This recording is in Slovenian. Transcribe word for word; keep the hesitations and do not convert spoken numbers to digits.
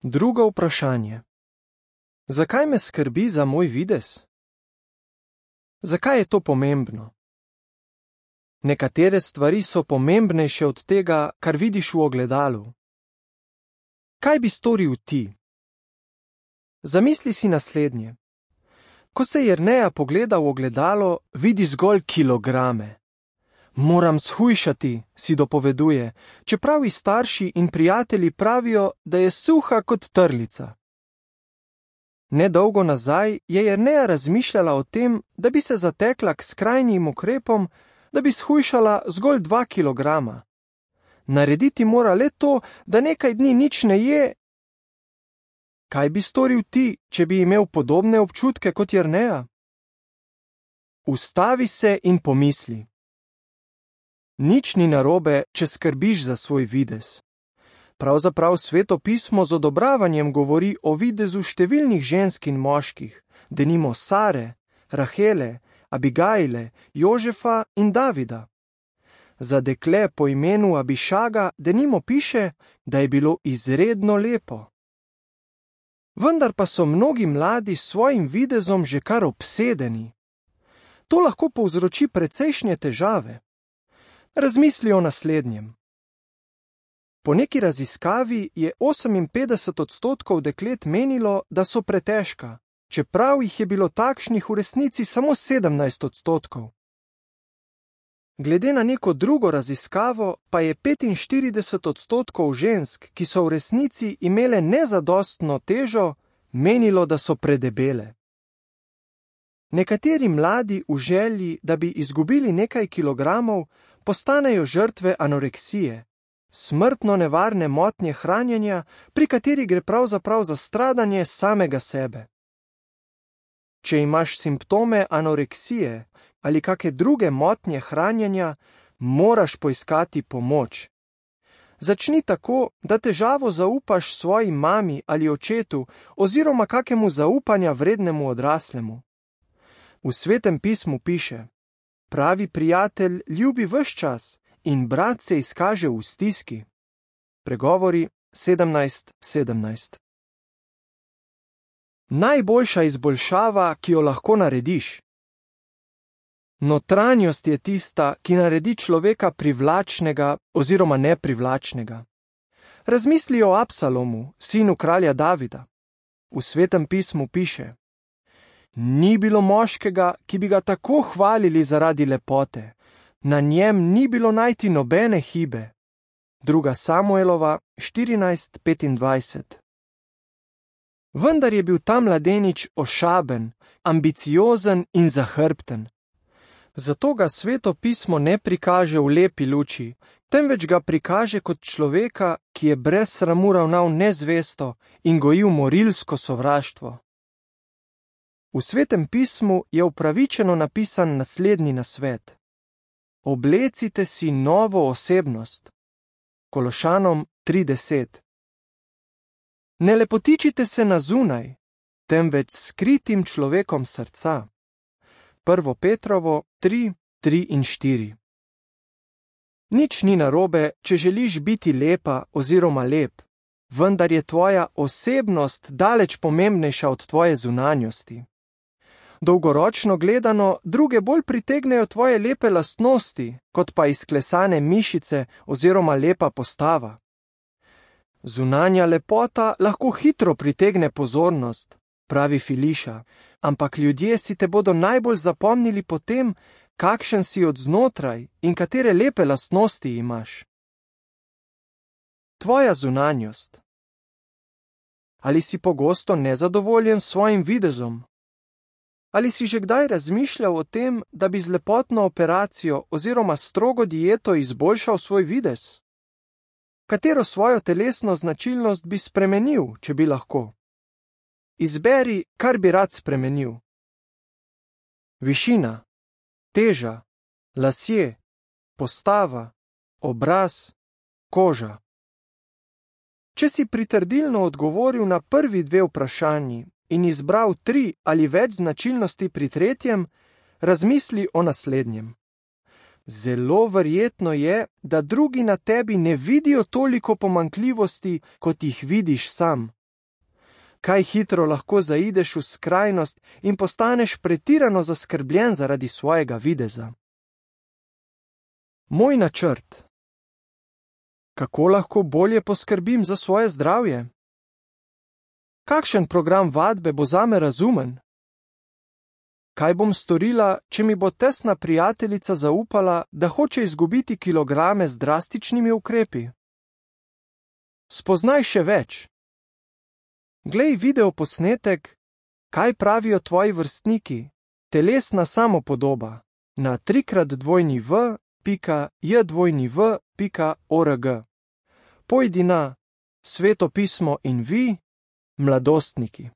Drugo vprašanje. Zakaj me skrbi za moj videz? Zakaj je to pomembno? Nekatere stvari so pomembnejše od tega, kar vidiš v ogledalu. Kaj bi storil ti? Zamisli si naslednje. Ko se Jerneja pogleda v ogledalo, vidi zgolj kilograme. Moram shujšati, si dopoveduje, čeprav ji starši in prijatelji pravijo, da je suha kot trlica. Nedolgo nazaj je Jerneja razmišljala o tem, da bi se zatekla k skrajnim ukrepom, da bi shujšala zgolj dva kilograma. Narediti mora le to, da nekaj dni nič ne je. Kaj bi storil ti, če bi imel podobne občutke kot Jerneja? Ustavi se in pomisli. Nič ni narobe, če skrbiš za svoj videz. Pravzaprav Sveto pismo z odobravanjem govori o videzu številnih žensk in moških, denimo Sare, Rahele, Abigajle, Jožefa in Davida. Za dekle po imenu Abišaga denimo piše, da je bilo izredno lepo. Vendar pa so mnogi mladi s svojim videzom že kar obsedeni. To lahko povzroči precejšnje težave. Razmisli o naslednjem. Po neki raziskavi je oseminpetdeset odstotkov deklet menilo, da so pretežka, čeprav jih je bilo takšnih v resnici samo sedemnajst odstotkov. Glede na neko drugo raziskavo pa je petinštirideset odstotkov žensk, ki so v resnici imele nezadostno težo, menilo, da so predebele. Nekateri mladi v želji, da bi izgubili nekaj kilogramov, postanejo žrtve anoreksije, smrtno nevarne motnje hranjenja, pri kateri gre pravzaprav za stradanje samega sebe. Če imaš simptome anoreksije ali kake druge motnje hranjenja, moraš poiskati pomoč. Začni tako, da težavo zaupaš svoji mami ali očetu oziroma kakemu zaupanja vrednemu odraslemu. V Svetem pismu piše: pravi prijatelj ljubi ves čas in brat se izkaže v stiski. Pregovori sedemnajst sedemnajst. Najboljša izboljšava, ki jo lahko narediš. Notranjost je tista, ki naredi človeka privlačnega oziroma neprivlačnega. Razmisli o Absalomu, sinu kralja Davida. V Svetem pismu piše: ni bilo moškega, ki bi ga tako hvalili zaradi lepote, na njem ni bilo najti nobene hibe. Druga Samuelova štirinajst petindvajset. Vendar je bil ta mladenič ošaben, ambiciozen in zahrbten. Zato ga Sveto pismo ne prikaže v lepi luči, temveč ga prikaže kot človeka, ki je brez sramu ravnal nezvesto in gojil morilsko sovraštvo. V Svetem pismu je upravičeno napisan naslednji nasvet: oblecite si novo osebnost. Kološanom tri deset. Ne lepotičite se na zunaj, temveč skritim človekom srca. Prvo Petrovo tri tri in štiri. Nič ni narobe, če želiš biti lepa oziroma lep, vendar je tvoja osebnost daleč pomembnejša od tvoje zunanjosti. Dolgoročno gledano, druge bolj pritegnejo tvoje lepe lastnosti, kot pa izklesane mišice oziroma lepa postava. Zunanja lepota lahko hitro pritegne pozornost, pravi Filiša, ampak ljudje si te bodo najbolj zapomnili po tem, kakšen si od znotraj in katere lepe lastnosti imaš. Tvoja zunanjost. Ali si pogosto nezadovoljen s svojim videzom? Ali si že kdaj razmišljal o tem, da bi z lepotno operacijo oziroma strogo dieto izboljšal svoj videz? Katero svojo telesno značilnost bi spremenil, če bi lahko? Izberi, kar bi rad spremenil. Višina, teža, lasje, postava, obraz, koža. Če si pritrdilno odgovoril na prvi dve vprašanji in izbral tri ali več značilnosti pri tretjem, razmisli o naslednjem. Zelo verjetno je, da drugi na tebi ne vidijo toliko pomanjkljivosti, kot jih vidiš sam. Kaj hitro lahko zaideš v skrajnost in postaneš pretirano zaskrbljen zaradi svojega videza. Moj načrt. Kako lahko bolje poskrbim za svoje zdravje? Kakšen program vadbe bo zame razumen? Kaj bom storila, če mi bo tesna prijateljica zaupala, da hoče izgubiti kilograme z drastičnimi ukrepi? Spoznaj še več. Glej video posnetek, kaj pravijo tvoji vrstniki, telesna samopodoba, na trikrat dvojni v pika j dvojni v pika org. Pojdi na Sveto pismo in vi, mladostniki.